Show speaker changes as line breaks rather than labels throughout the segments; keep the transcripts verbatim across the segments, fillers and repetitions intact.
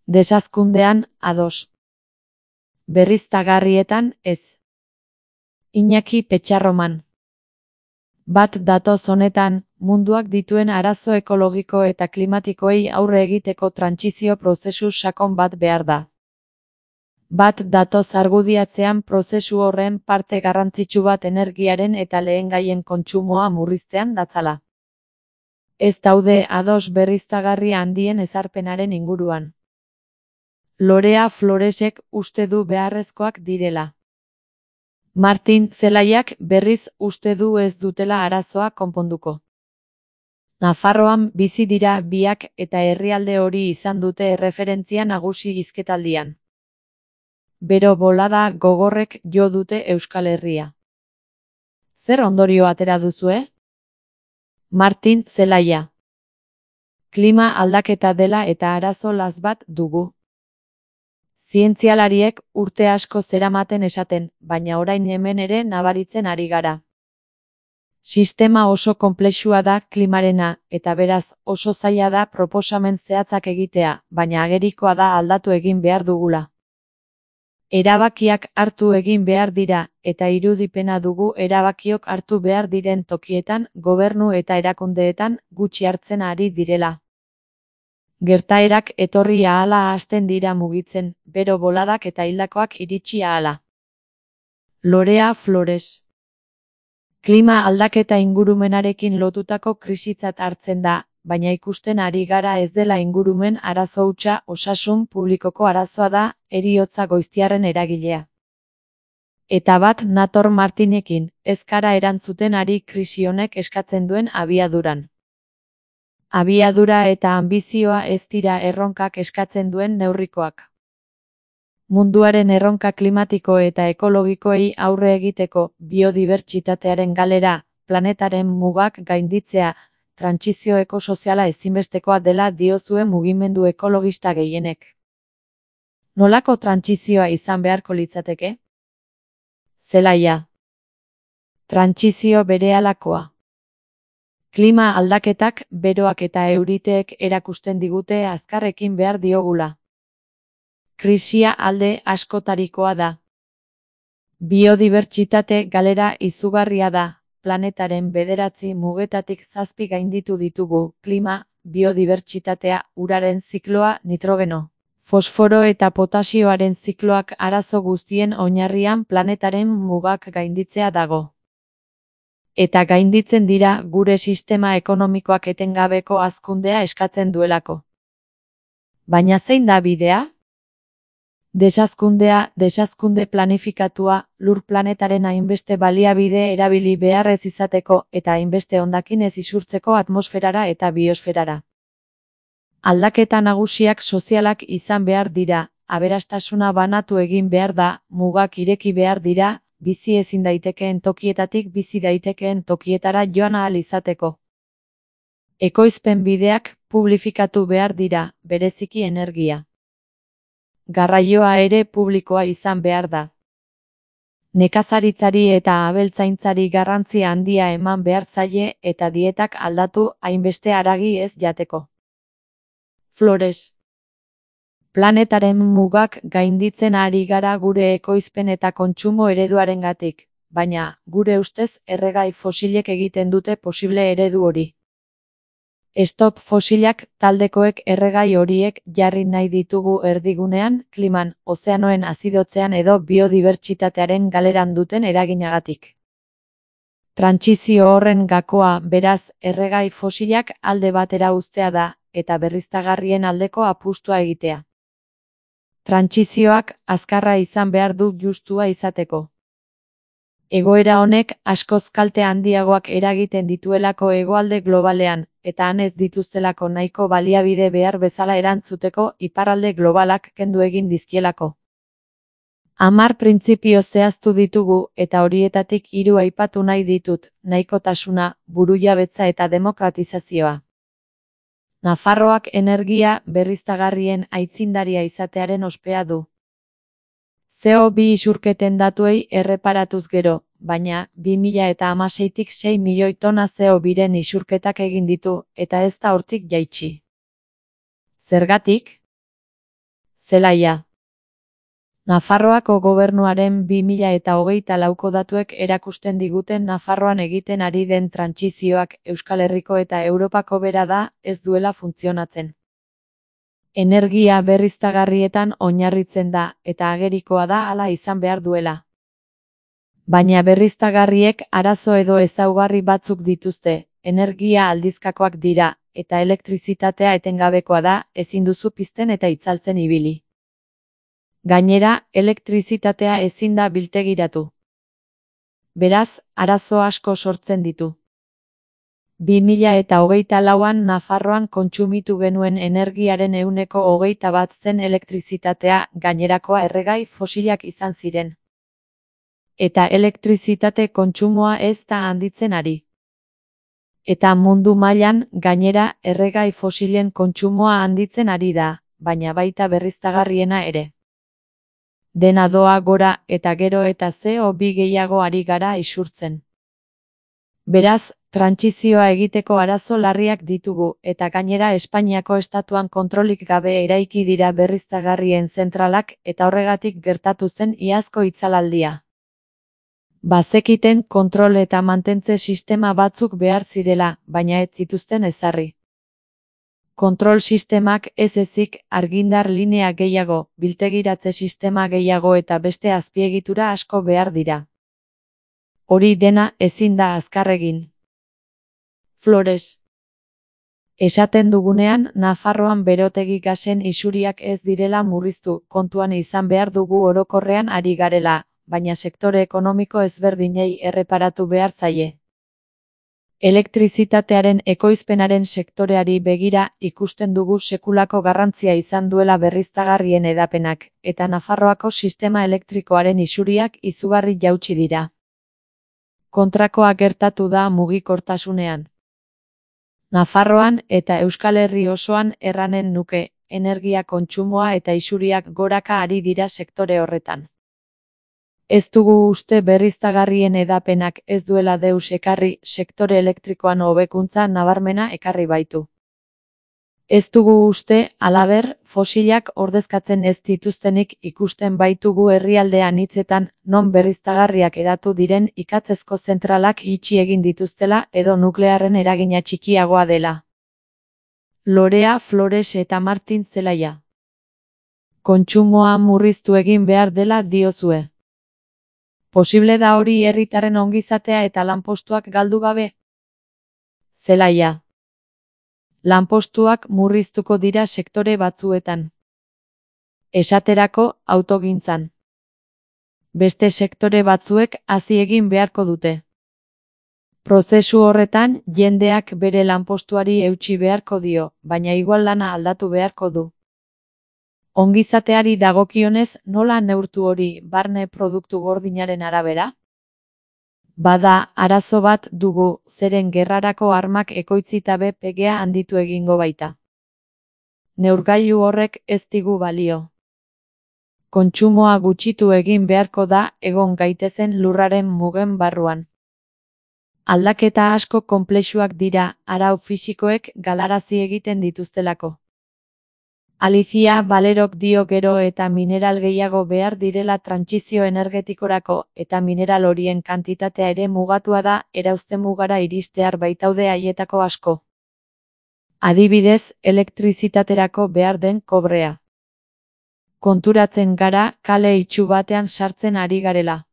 Desazkundean, ados. Berriztagarrietan, ez. Iñaki Petxarroman. Bat datoz honetan, munduak dituen arazo ekologiko eta klimatikoei aurre egiteko trantsizio prozesu sakon bat behar da. Bat datoz argudiatzean prozesu horren parte garrantzitsu bat energiaren eta lehengaien kontsumoa murriztean datzala. Ez daude ados berriztagarri handien ezarpenaren inguruan. Lorea Floresek uste du beharrezkoak direla. Martin Zelaiak berriz uste du ez dutela arazoa konponduko. Nafarroan bizi dira biak eta herrialde hori izan dute erreferentzia nagusi hizketaldian. Bero bolada gogorrek jo dute Euskal Herria. Zer ondorio atera duzue? Martin Zelaia. Klima aldaketa dela eta arazo latz bat dugu. Zientzialariek urte asko zeramaten esaten, baina orain hemen ere nabaritzen ari gara. Sistema oso konplexua da klimarena, eta beraz oso zaila da proposamen zehatzak egitea, baina agerikoa da aldatu egin behar dugula. Erabakiak hartu egin behar dira, eta irudipena dugu erabakiok hartu behar diren tokietan, gobernu eta erakundeetan gutxi hartzen ari direla. Gertaerak etorri ahala hasten dira mugitzen, bero boladak eta hildakoak iritsi ahala. Lorea Flores. Klima aldaketa ingurumenarekin lotutako krisitzat hartzen da, baina ikusten ari gara ez dela ingurumen arazo hutsa osasun publikoko arazoa da, heriotza goiztiarren eragilea. Eta bat nator Martinekin, ez gara erantzuten ari krisi honek eskatzen duen abiaduran. Abiadura eta anbizioa ez dira erronkak eskatzen duen neurrikoak. Munduaren erronka klimatiko eta ekologikoei aurre egiteko biodibertsitatearen galera, planetaren mugak gainditzea, trantsizio ekosoziala ezinbestekoa dela diozue mugimendu ekologista gehienek. Nolako trantsizioa izan beharko litzateke? Zelaia. Trantsizio berehalakoa. Klima aldaketak, beroak eta euriteek erakusten digute azkarrekin behar diogula. Krisia alde askotarikoa da. Biodibertsitate galera izugarria da, planetaren bederatzi mugetatik zazpi gainditu ditugu, klima, biodibertsitatea, uraren zikloa, nitrogeno, fosforo eta potasioaren zikloak arazo guztien oinarrian planetaren mugak gainditzea dago. Eta gainditzen dira gure sistema ekonomikoak etengabeko hazkundea eskatzen duelako. Baina zein da bidea? Desazkundea, desazkunde planifikatua, lur planetaren hainbeste baliabide erabili behar ez izateko eta hainbeste hondakin ez isurtzeko atmosferara eta biosferara. Aldaketa nagusiak sozialak izan behar dira, aberastasuna banatu egin behar da, mugak ireki behar dira, bizi ezin daitekeen tokietatik bizi daitekeen tokietara joan ahal izateko. Ekoizpen bideak publifikatu behar dira, bereziki energia. Garraioa ere publikoa izan behar da. Nekazaritzari eta abeltzaintzari garrantzi handia eman behar zaie eta dietak aldatu hainbeste haragi ez jateko. Flores. Planetaren mugak gainditzen ari gara gure ekoizpen eta kontsumo ereduarengatik, baina, gure ustez, erregai fosilek egiten dute posible eredu hori. Stop fosilak taldekoek erregai horiek jarri nahi ditugu erdigunean, kliman, ozeanoen azidotzean edo biodibertsitatearen galeran duten eraginagatik. Trantsizio horren gakoa, beraz, erregai fosilak alde batera uztea da, eta berriztagarrien aldeko apustua egitea. Trantsizioak azkarra izan behar du justua izateko. Egoera honek askoz kalte handiagoak eragiten dituelako hegoalde globalean, eta han ez dituztelako nahiko baliabide behar bezala erantzuteko iparralde globalak kendu egin dizkielako. Hamar printzipio zehaztu ditugu eta horietatik hiru aipatu nahi ditut, nahikotasuna, burujabetza eta demokratizazioa. Nafarroak energia berriztagarrien aitzindaria izatearen ospea du. C O bi isurketen datuei erreparatuz gero, baina bi mila hamaseitik sei milioi tona C O biren isurketak egin ditu, eta ez da hortik jaitsi. Zergatik? Zelaia. Nafarroako gobernuaren bi mila eta hogeita lauko datuek erakusten diguten Nafarroan egiten ari den trantsizioak Euskal Herriko eta Europako bera da, ez duela funtzionatzen. Energia berriztagarrietan oinarritzen da, eta agerikoa da hala izan behar duela. Baina berriztagarriek arazo edo ezaugarri batzuk dituzte, energia aldizkakoak dira, eta elektrizitatea etengabekoa da, ezin duzu pizten eta itzaltzen ibili. Gainera, elektrizitatea ezin da biltegiratu. Beraz, arazo asko sortzen ditu. bi mila eta hogeita lauan Nafarroan kontsumitu genuen energiaren ehuneko hogeita bat zen elektrizitatea, gainerakoa erregai fosilak izan ziren. Eta elektrizitate kontsumoa ez da handitzen ari. Eta mundu mailan, gainera, erregai fosilen kontsumoa handitzen ari da, baina baita berriztagarriena ere. Dena doa gora eta gero eta C O bi gehiago ari gara isurtzen. Beraz, trantsizioa egiteko arazo larriak ditugu, eta gainera Espainiako estatuan kontrolik gabe eraiki dira berriztagarrien zentralak, eta horregatik gertatu zen iazko itzalaldia. Bazekiten kontrol eta mantentze sistema batzuk behar zirela, baina ez zituzten ezarri. Kontrol sistemak ez ezik argindar linea gehiago, biltegiratze sistema gehiago eta beste azpiegitura asko behar dira. Hori dena ezin da azkar egin. Flores. Esaten dugunean, Nafarroan berotegi gasen isuriak ez direla murriztu, kontuan izan behar dugu orokorrean ari garela, baina sektore ekonomiko ezberdinei erreparatu behar zaie. Elektrizitatearen ekoizpenaren sektoreari begira ikusten dugu sekulako garrantzia izan duela berriztagarrien hedapenak, eta Nafarroako sistema elektrikoaren isuriak izugarri jaitsi dira. Kontrakoa gertatu da mugikortasunean. Nafarroan eta Euskal Herri osoan erranen nuke, energia kontsumoa eta isuriak goraka ari dira sektore horretan. Ez dugu uste berriztagarrien hedapenak ez duela deus ekarri, sektore elektrikoan hobekuntza nabarmena ekarri baitu. Ez dugu uste, halaber, fosilak ordezkatzen ez dituztenik ikusten baitugu herrialde anitzetan, non berriztagarriak hedatu diren ikatzezko zentralak itxi egin dituztela edo nuklearren eragina txikiagoa dela. Lorea Flores eta Martin Zelaia. Kontsumoa murriztu egin behar dela diozue. Posible da hori herritarren ongizatea eta lanpostuak galdu gabe? Zelaia. Lanpostuak murriztuko dira sektore batzuetan. Esaterako, autogintzan. Beste sektore batzuek hazi egin beharko dute. Prozesu horretan, jendeak bere lanpostuari eutsi beharko dio, baina igual lana aldatu beharko du. Ongizateari dagokionez, nola neurtu hori barne produktu gordinaren arabera? Bada, arazo bat dugu, zeren gerrarako armak ekoitzita be P G A handitu egingo baita. Neurgailu horrek ez digu balio. Kontsumoa gutxitu egin beharko da egon gaitezen lurraren mugen barruan. Aldaketa asko konplexuak dira, arau fisikoek galarazi egiten dituztelako. Alicia Valerok dio gero eta mineral gehiago behar direla trantsizio energetikorako, eta mineral horien kantitatea ere mugatua da, erauzte mugara iristear baitaude haietako asko. Adibidez, elektrizitaterako behar den kobrea. Konturatzen gara, kale itxu batean sartzen ari garela.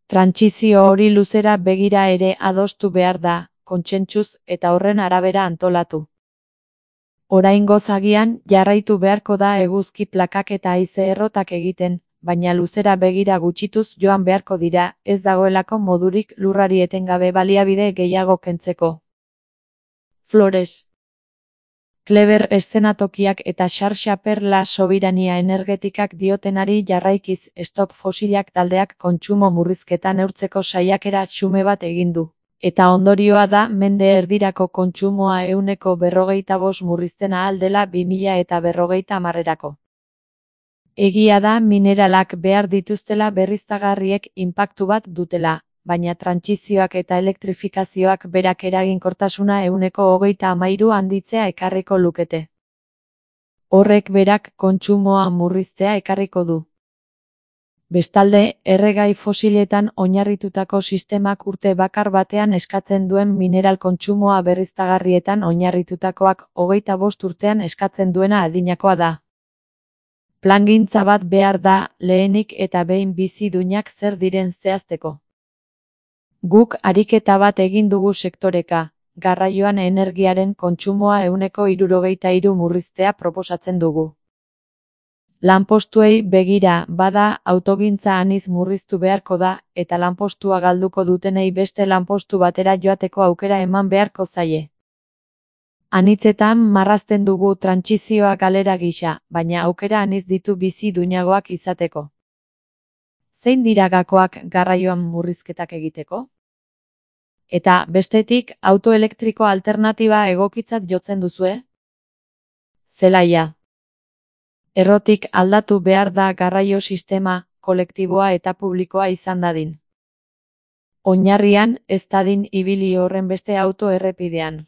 Trantsizio hori luzera begira ere adostu behar da, kontsentsuz eta horren arabera antolatu. Oraingoz agian, jarraitu beharko da eguzki plakak eta haize errotak egiten, baina luzera begira gutxituz joan beharko dira, ez dagoelako modurik lurrari etengabe baliabide gehiago kentzeko. Flores. Kleber eszenatokiak eta Xarxaper la Sobirania energetikak diotenari jarraikiz Stop Fosilak taldeak kontsumo murrizketa neurtzeko saiakera xume bat egin du. Eta ondorioa da mende erdirako kontsumoa ehuneko berrogeita bost murrizten ahal dela bi mila eta berrogeita hamarerako. Egia da mineralak behar dituztela berriztagarriek inpaktu bat dutela, baina trantsizioak eta elektrifikazioak berak eraginkortasuna ehuneko hogeita hamairu handitzea ekarriko lukete. Horrek berak kontsumoa murriztea ekarriko du. Bestalde, erregai fosiletan oinarritutako sistemak urte bakar batean eskatzen duen mineral kontsumoa berriztagarrietan oinarritutakoak hogeita bost urtean eskatzen duena adinakoa da. Plangintza bat behar da, lehenik eta behin bizidunak zer diren zehazteko. Guk ariketa bat egin dugu sektoreka, garraioan energiaren kontsumoa ehuneko hirurogeita hiru murriztea proposatzen dugu. Lanpostuei begira, bada, autogintza aniz murriztu beharko da, eta lanpostua galduko dutenei beste lanpostu batera joateko aukera eman beharko zaie. Anitzetan marrazten dugu trantsizioa galera gisa, baina aukera aniz ditu bizi duinagoak izateko. Zein dira gakoak garraioan murrizketak egiteko? Eta, bestetik, auto elektriko alternatiba egokitzat jotzen duzue? Zelaia. Errotik aldatu behar da garraio sistema, kolektiboa eta publikoa izan dadin. Oinarrian, ez dadin ibili horren beste auto errepidean.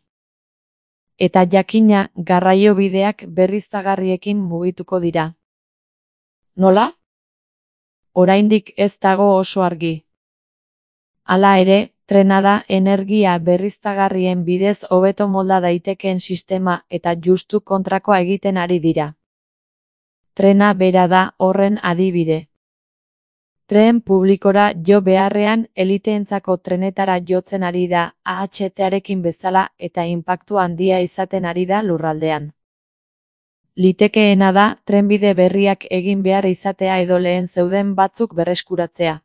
Eta jakina, garraio bideak berriztagarriekin mugituko dira. Nola? Oraindik ez dago oso argi. Hala ere, trena da energia berriztagarrien bidez hobeto molda daitekeen sistema eta justu kontrakoa egiten ari dira. Trena bera da horren adibide. Tren publikora jo beharrean eliteentzako trenetara jotzen ari da A H T-arekin bezala eta inpaktu handia izaten ari da lurraldean. Litekeena da trenbide berriak egin behar izatea edo lehen zeuden batzuk berreskuratzea.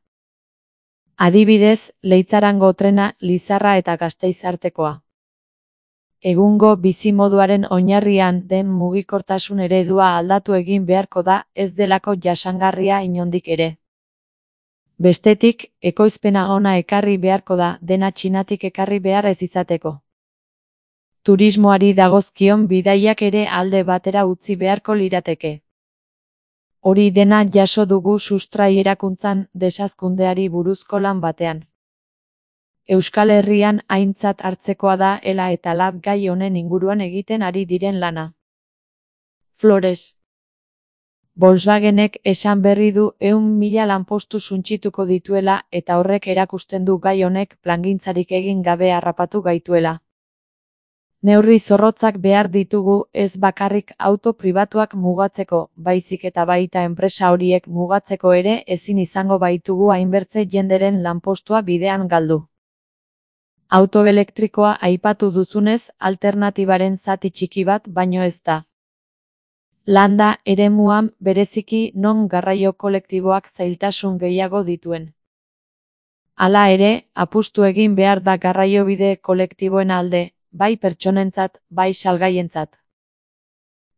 Adibidez, Leitzarango trena Lizarra eta Gasteiz artekoa. Egungo bizimoduaren oinarrian den mugikortasun eredua aldatu egin beharko da, ez delako jasangarria inondik ere. Bestetik, ekoizpena ona ekarri beharko da, dena Txinatik ekarri behar ez izateko. Turismoari dagozkion bidaiak ere alde batera utzi beharko lirateke. Hori dena jaso dugu sustrai erakuntzan desazkundeari buruzko lan batean. Euskal Herrian aintzat hartzekoa da ela eta lab gai honen inguruan egiten ari diren lana. Flores. Volkswagenek esan berri du ehun mila lanpostu suntsituko dituela eta horrek erakusten du gai honek plangintzarik egin gabe harrapatu gaituela. Neurri zorrotzak behar ditugu ez bakarrik auto pribatuak mugatzeko, baizik eta baita enpresa horiek mugatzeko ere ezin izango baitugu hainbertze jenderen lanpostua bidean galdu. Auto elektrikoa aipatu duzunez, alternatibaren zati txiki bat baino ez da. Landa eremuan bereziki non garraio kolektiboak zailtasun gehiago dituen. Hala ere, apustu egin behar da garraiobide kolektiboen alde, bai pertsonentzat, bai salgaientzat.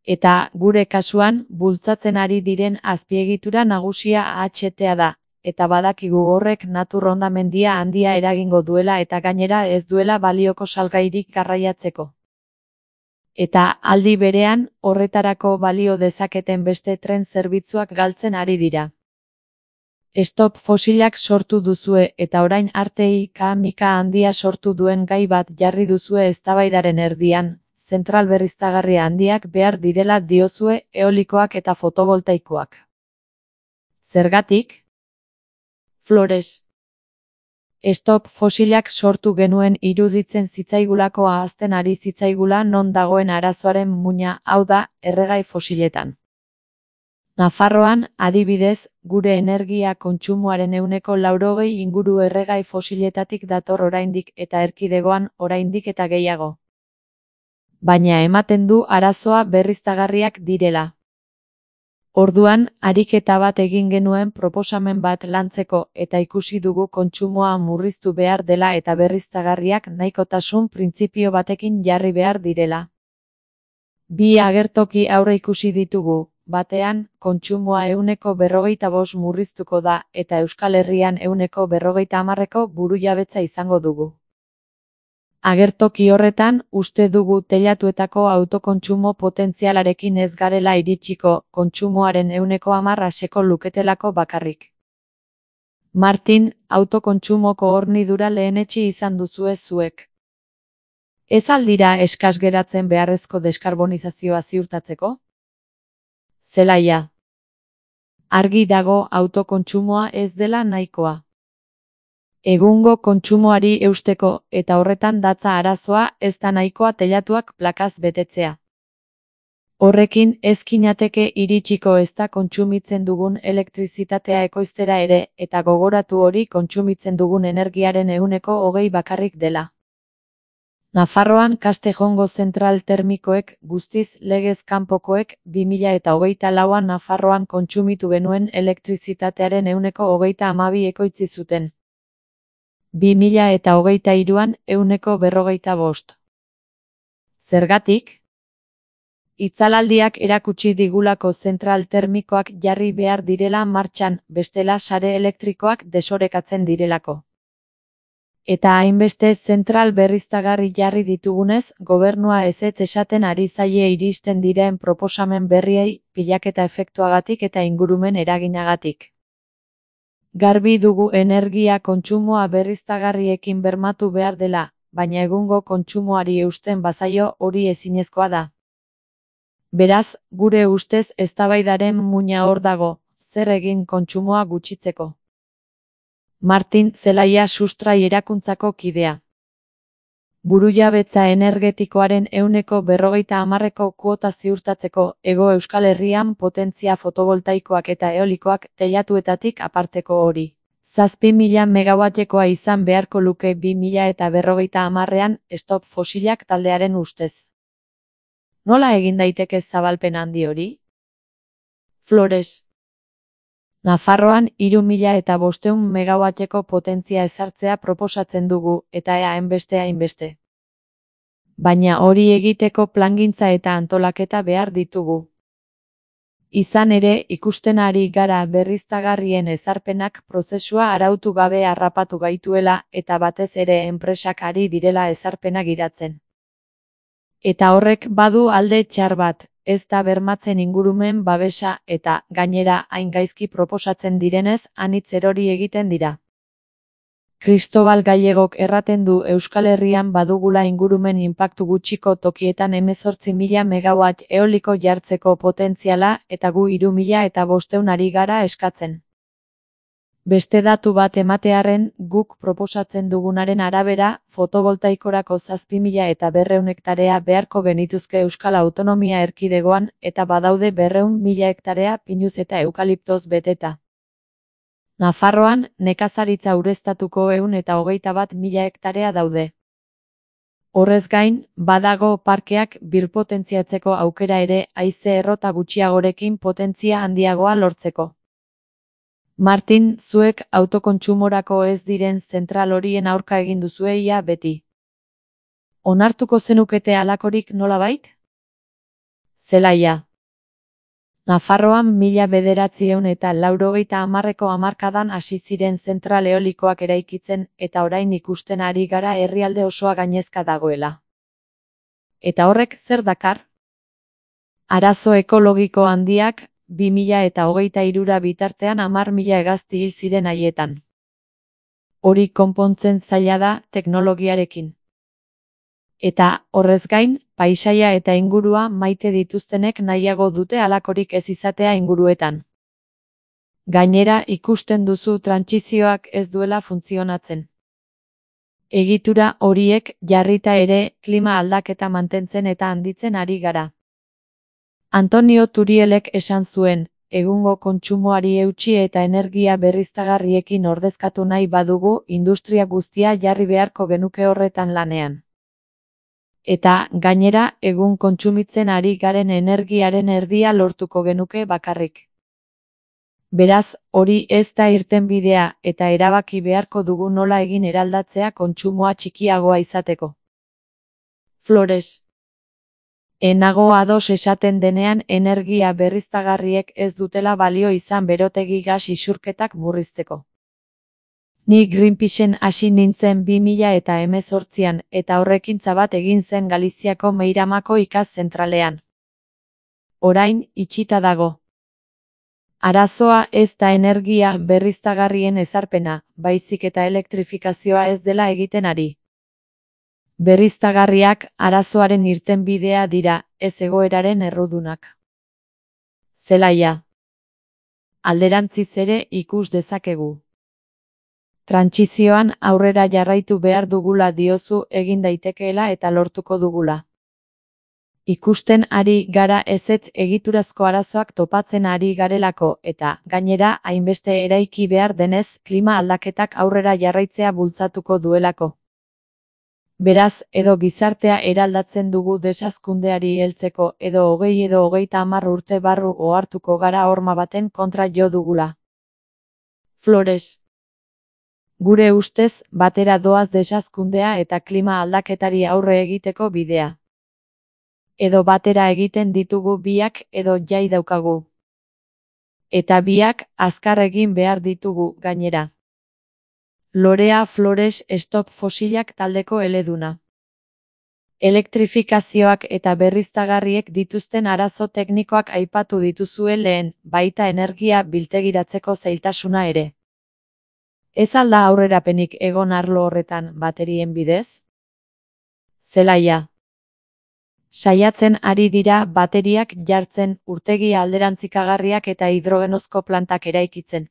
Eta, gure kasuan, bultzatzen ari diren azpiegitura nagusia A H T-a da. Eta badakigu horrek natur hondamendia handia eragingo duela eta gainera ez duela balioko salgairik garraiatzeko. Eta aldi berean, horretarako balio dezaketen beste tren zerbitzuak galtzen ari dira. Stop fosilak sortu duzue eta orain arte ika-mika handia sortu duen gai bat jarri duzue eztabaidaren erdian, zentral berriztagarri handiak behar direla diozue eolikoak eta fotovoltaikoak. Zergatik? Flores. Stop fosilak sortu genuen iruditzen zitzaigulako ahazten ari zitzaigula non dagoen arazoaren muina, hau da, erregai fosiletan. Nafarroan, adibidez, gure energia kontsumoaren ehuneko laurogei inguru erregai fosiletatik dator oraindik eta erkidegoan oraindik eta gehiago. Baina ematen du arazoa berriztagarriak direla. Orduan, ariketa bat egin genuen proposamen bat lantzeko eta ikusi dugu kontsumoa murriztu behar dela eta berriztagarriak nahikotasun printzipio batekin jarri behar direla. Bi agertoki aurre ikusi ditugu, batean, kontsumoa ehuneko berrogeita bost murriztuko da eta Euskal Herrian ehuneko berrogeita hamarreko burujabetza izango dugu. Agertoki horretan, uste dugu teilatuetako autokontsumo potentzialarekin ez garela iritsiko, kontsumoaren ehuneko hamarra seko luketelako bakarrik. Martin, autokontsumoko hornidura lehenetsi izan duzue zuek. Ez al dira eskas geratzen beharrezko deskarbonizazioa ziurtatzeko? Zelaia. Argi dago autokontsumoa ez dela nahikoa. Egungo kontsumoari eusteko eta horretan datza arazoa ez da nahikoa teilatuak plakaz betetzea. Horrekin ez ginateke iritsiko ezta kontsumitzen dugun elektrizitatea ekoiztera ere eta gogoratu hori kontsumitzen dugun energiaren ehuneko hogei bakarrik dela. Nafarroan Castejongo zentral termikoek guztiz legez kanpokoek bi mila eta hogeita lauan Nafarroan kontsumitu genuen elektrizitatearen ehuneko hogeita hamabi ekoitzi zuten. bi mila eta hogeita hiruan ehuneko berrogeita bost. Zergatik? Itzalaldiak erakutsi digulako zentral termikoak jarri behar direla martxan, bestela sare elektrikoak desorekatzen direlako. Eta hainbeste zentral berriztagarri jarri ditugunez, gobernua ezetz esaten ari zaie iristen diren proposamen berriei, pilaketa efektuagatik eta ingurumen eraginagatik. Garbi dugu energia kontsumoa berriztagarriekin bermatu behar dela, baina egungo kontsumoari eusten bazaio hori ezinezkoa da. Beraz, gure ustez eztabaidaren muina hor dago, zer egin kontsumoa gutxitzeko. Martin Zelaia Sustrai erakuntzako kidea. Burujabetza energetikoaren ehuneko berrogeita hamarreko kuota ziurtatzeko Hego Euskal Herrian potentzia fotovoltaikoak eta eolikoak teilatuetatik aparteko hori. Zazpi mila megawattekoa izan beharko luke bi mila eta berrogeita hamarrean Stop Fosilak taldearen ustez. Nola egin daiteke zabalpen handi hori? Flores. Nafarroan hiru mila eta bostehun megawatteko potentzia ezartzea proposatzen dugu, eta ea hainbeste hainbeste. Baina hori egiteko plangintza eta antolaketa behar ditugu. Izan ere, ikusten ari gara berriztagarrien ezarpenak prozesua arautu gabe harrapatu gaituela eta batez ere enpresak ari direla ezarpena gidatzen. Eta horrek badu alde txar bat, ez da bermatzen ingurumen babesa eta, gainera, hain gaizki proposatzen direnez, anitz erori egiten dira. Cristobal Gallegok erraten du Euskal Herrian badugula ingurumen inpaktu gutxiko tokietan hemezortzi mila megawatt eoliko jartzeko potentziala eta gu hiru mila eta bostehun ari gara eskatzen. Beste datu bat ematearren, guk proposatzen dugunaren arabera, fotovoltaikorako zazpi mila eta berrehun hektarea beharko genituzke Euskal Autonomia Erkidegoan eta badaude berrehun mila hektarea pinuz eta eukaliptoz beteta. Nafarroan, nekazaritza ureztatuko ehun eta hogeita bat mila hektarea daude. Horrez gain, badago parkeak birpotentziatzeko aukera ere haize errota gutxiagorekin potentzia handiagoa lortzeko. Martin, zuek autokontsumorako ez diren zentral horien aurka egin duzue ia beti. Onartuko zenukete halakorik nolabait? Zelaia. Nafarroan mila bederatziehun eta laurogeita hamarreko hamarkadan hasi ziren zentral eolikoak eraikitzen eta orain ikusten ari gara herrialde osoa gainezka dagoela. Eta horrek zer dakar? Arazo ekologiko handiak, bi mila eta hogeita hirura bitartean hamar mila hegazti hil ziren haietan. Hori konpontzen zaila da teknologiarekin. Eta, horrez gain, paisaia eta ingurua maite dituztenek nahiago dute halakorik ez izatea inguruetan. Gainera ikusten duzu trantsizioak ez duela funtzionatzen. Egitura horiek jarrita ere klima aldaketa mantentzen eta handitzen ari gara. Antonio Turielek esan zuen, egungo kontsumoari eutsi eta energia berriztagarriekin ordezkatu nahi badugu industria guztia jarri beharko genuke horretan lanean. Eta, gainera, egun kontsumitzen ari garen energiaren erdia lortuko genuke bakarrik. Beraz, hori ez da irtenbidea eta erabaki beharko dugu nola egin eraldatzea kontsumoa txikiagoa izateko. Flores. Enago ados esaten denean energia berriztagarriek ez dutela balio izan berotegi gas isurketak murrizteko. Ni Greenpeaceen hasi nintzen bi mila eta hemezortzian eta horrekintza bat egin zen Galiziako Meiramako ikas zentralean. Orain, itxita dago. Arazoa ez da energia berriztagarrien ezarpena, baizik eta elektrifikazioa ez dela egiten ari. Berriztagarriak arazoaren irtenbidea dira, ez egoeraren errudunak. Zelaia. Alderantziz ere ikus dezakegu. Trantsizioan aurrera jarraitu behar dugula diozu, egin daitekeela eta lortuko dugula. Ikusten ari gara ezetz egiturazko arazoak topatzen ari garelako eta, gainera, hainbeste eraiki behar denez klima aldaketak aurrera jarraitzea bultzatuko duelako. Beraz, edo gizartea eraldatzen dugu desazkundeari heltzeko edo hogei edo hogeita hamar urte barru ohartuko gara horma baten kontra jo dugula. Flores. Gure ustez, batera doaz desazkundea eta klima aldaketari aurre egiteko bidea. Edo batera egiten ditugu biak edo jai daukagu. Eta biak azkar egin behar ditugu gainera. Lorea Flores Stop Fosilak taldeko eleduna. Elektrifikazioak eta berriztagarriek dituzten arazo teknikoak aipatu dituzue lehen, baita energia biltegiratzeko zailtasuna ere. Ez alda aurrerapenik egon arlo horretan baterien bidez? Zelaia. Saiatzen ari dira bateriak jartzen, urtegi alderantzikagarriak eta hidrogenozko plantak eraikitzen.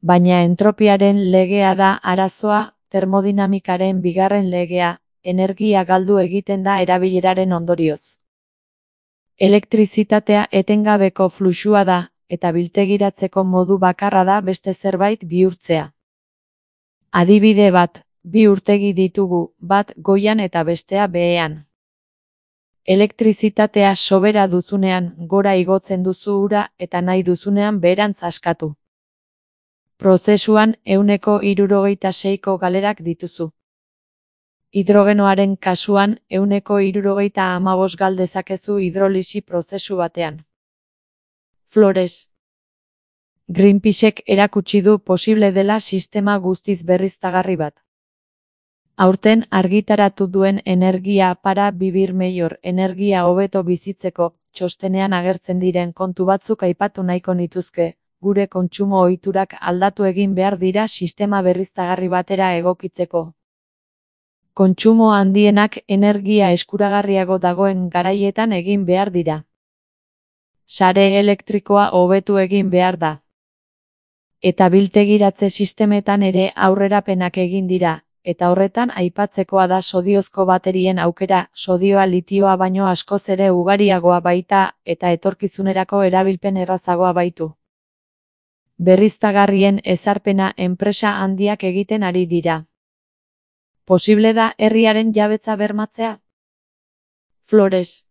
Baina entropiaren legea da arazoa, termodinamikaren bigarren legea, energia galdu egiten da erabileraren ondorioz. Elektrizitatea etengabeko fluxua da, eta biltegiratzeko modu bakarra da beste zerbait bihurtzea. Adibide bat, bi urtegi ditugu, bat goian eta bestea behean. Elektrizitatea sobera duzunean gora igotzen duzu ura eta nahi duzunean beherantz askatu. Prozesuan ehuneko hirurogeita seiko galerak dituzu. Hidrogenoaren kasuan ehuneko hirurogeita hamabost gal dezakezu hidrolisi prozesu batean. Flores. Greenpeacek erakutsi du posible dela sistema guztiz berriztagarri bat. Aurten argitaratu duen energia para vivir mejor, energia hobeto bizitzeko, txostenean agertzen diren kontu batzuk aipatu nahiko nituzke, gure kontsumo ohiturak aldatu egin behar dira sistema berriztagarri batera egokitzeko. Kontsumo handienak energia eskuragarriago dagoen garaietan egin behar dira. Sare elektrikoa hobetu egin behar da. Eta biltegiratze sistemetan ere aurrerapenak egin dira. Eta horretan aipatzekoa da sodiozko baterien aukera, sodioa litioa baino askoz ere ugariagoa baita eta etorkizunerako erabilpen errazagoa baitu. Berriztagarrien ezarpena enpresa handiak egiten ari dira. Posible da herriaren jabetza bermatzea? Flores.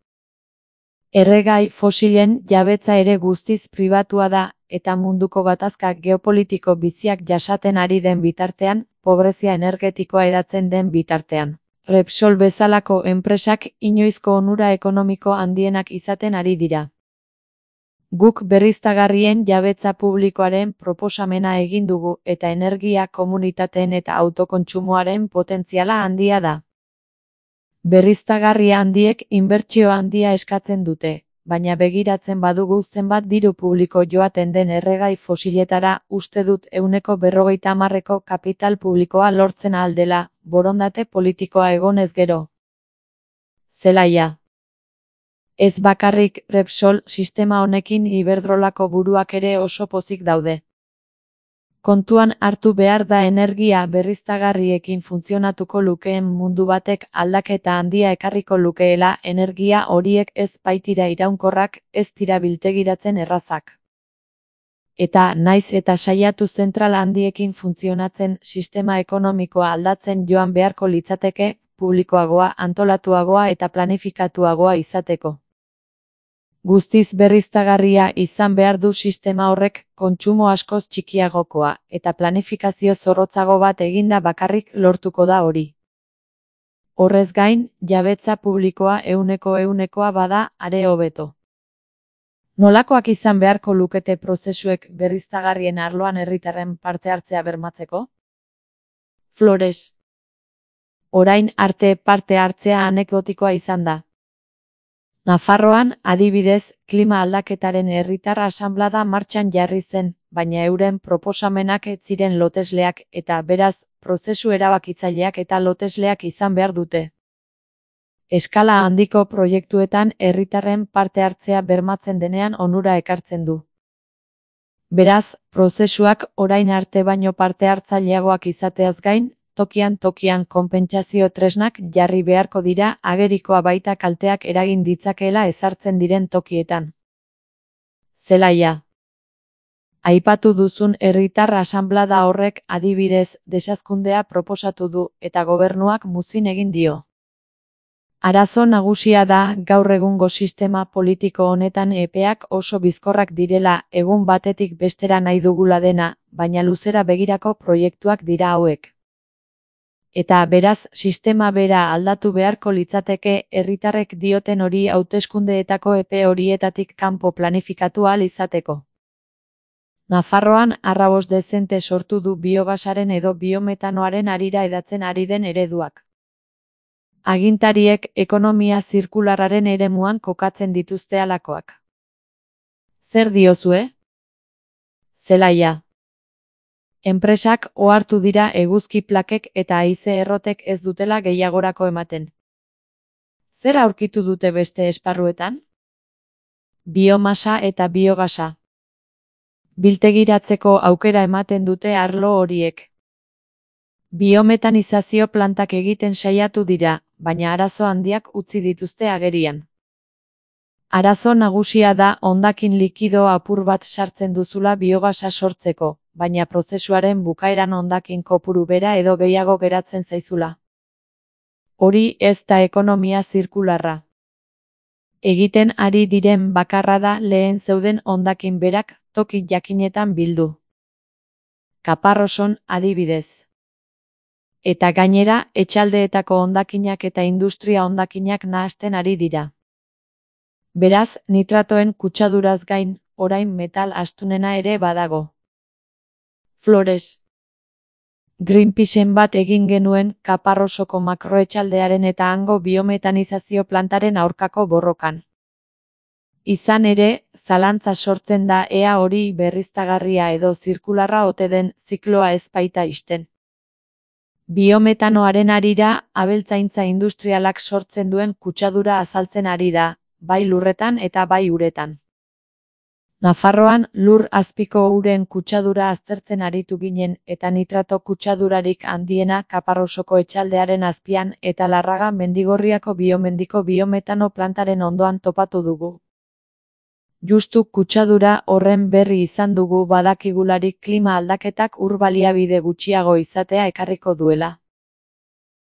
Erregai fosilen jabetza ere guztiz pribatua da, eta munduko gatazka geopolitiko biziak jasaten ari den bitartean, pobrezia energetikoa hedatzen den bitartean. Repsol bezalako enpresak inoizko onura ekonomiko handienak izaten ari dira. Guk berriztagarrien jabetza publikoaren proposamena egin dugu eta energia komunitateen eta autokontsumoaren potentziala handia da. Berriztagarria handiek inbertsio handia eskatzen dute, baina begiratzen badugu zenbat diru publiko joaten den erregai fosiletara, uste dut ehuneko berrogeita hamarreko kapital publikoa lortzen ahal dela, borondate politikoa egonez gero. Zelaia. Ez bakarrik Repsol sistema honekin Iberdrolako buruak ere oso pozik daude. Kontuan hartu behar da energia berriztagarriekin funtzionatuko lukeen mundu batek aldaketa handia ekarriko lukeela, energia horiek ez baitira iraunkorrak, ez dira biltegiratzen errazak. Eta naiz eta saiatu zentral handiekin funtzionatzen, sistema ekonomikoa aldatzen joan beharko litzateke, publikoagoa, antolatuagoa eta planifikatuagoa izateko. Guztiz berriztagarria izan behar du sistema horrek, kontsumo askoz txikiagokoa, eta planifikazio zorrotzago bat eginda bakarrik lortuko da hori. Horrez gain, jabetza publikoa ehuneko ehunekoa bada, are hobeto. Nolakoak izan beharko lukete prozesuek berriztagarrien arloan herritarren parte hartzea bermatzeko? Flores. Orain arte parte hartzea anekdotikoa izan da. Nafarroan, adibidez, klima aldaketaren herritar asanblada martxan jarri zen, baina euren proposamenak ez ziren lotesleak eta beraz, prozesu erabakitzaileak eta lotesleak izan behar dute. Eskala handiko proiektuetan herritarren parte hartzea bermatzen denean onura ekartzen du. Beraz, prozesuak orain arte baino parte hartzaileagoak izateaz gain, tokian tokian konpentsazio tresnak jarri beharko dira agerikoa baita kalteak eragin ditzakeela ezartzen diren tokietan. Zelaia. Aipatu duzun herritar asanblada horrek adibidez desazkundea proposatu du eta gobernuak muzin egin dio. Arazo nagusia da gaur egungo sistema politiko honetan epeak oso bizkorrak direla egun batetik bestera nahi dugula dena, baina luzera begirako proiektuak dira hauek. Eta beraz sistema bera aldatu beharko litzateke herritarrek dioten hori hauteskundeetako epe horietatik kanpo planifikatu ahal izateko. Nafarroan arrabos dezente sortu du biogasaren edo biometanoaren harira edatzen ari den ereduak. Agintariek ekonomia zirkularraren eremuan kokatzen dituzte halakoak. Zer diozue? Zelaia. Enpresak ohartu dira eguzki plakek eta haize errotek ez dutela gehiagorako ematen. Zer aurkitu dute beste esparruetan? Biomasa eta biogasa. Biltegiratzeko aukera ematen dute arlo horiek. Biometanizazio plantak egiten saiatu dira, baina arazo handiak utzi dituzte agerian. Arazo nagusia da hondakin likido apur bat sartzen duzula biogasa sortzeko, baina prozesuaren bukaeran hondakin kopuru bera edo gehiago geratzen zaizula. Hori ez da ekonomia zirkularra. Egiten ari diren bakarra da lehen zeuden hondakin berak toki jakinetan bildu. Kaparroson adibidez. Eta gainera, etxaldeetako hondakinak eta industria hondakinak nahasten ari dira. Beraz, nitratoen kutsaduraz gain, orain metal astunena ere badago. Flores. Greenpeaceen bat egin genuen Kaparrosoko makroetxaldearen eta hango biometanizazio plantaren aurkako borrokan. Izan ere, zalantza sortzen da ea hori berriztagarria edo zirkularra ote den zikloa ez baita ixten. Biometanoaren harira, abeltzaintza industrialak sortzen duen kutsadura azaltzen ari da, bai lurretan eta bai uretan. Nafarroan lur azpiko uren kutsadura aztertzen aritu ginen eta nitrato kutsadurarik handiena Kaparrosoko etxaldearen azpian eta Larraga Mendigorriako biomendiko biometano plantaren ondoan topatu dugu. Justu kutsadura horren berri izan dugu badakigularik klima aldaketak ur baliabide gutxiago izatea ekarriko duela.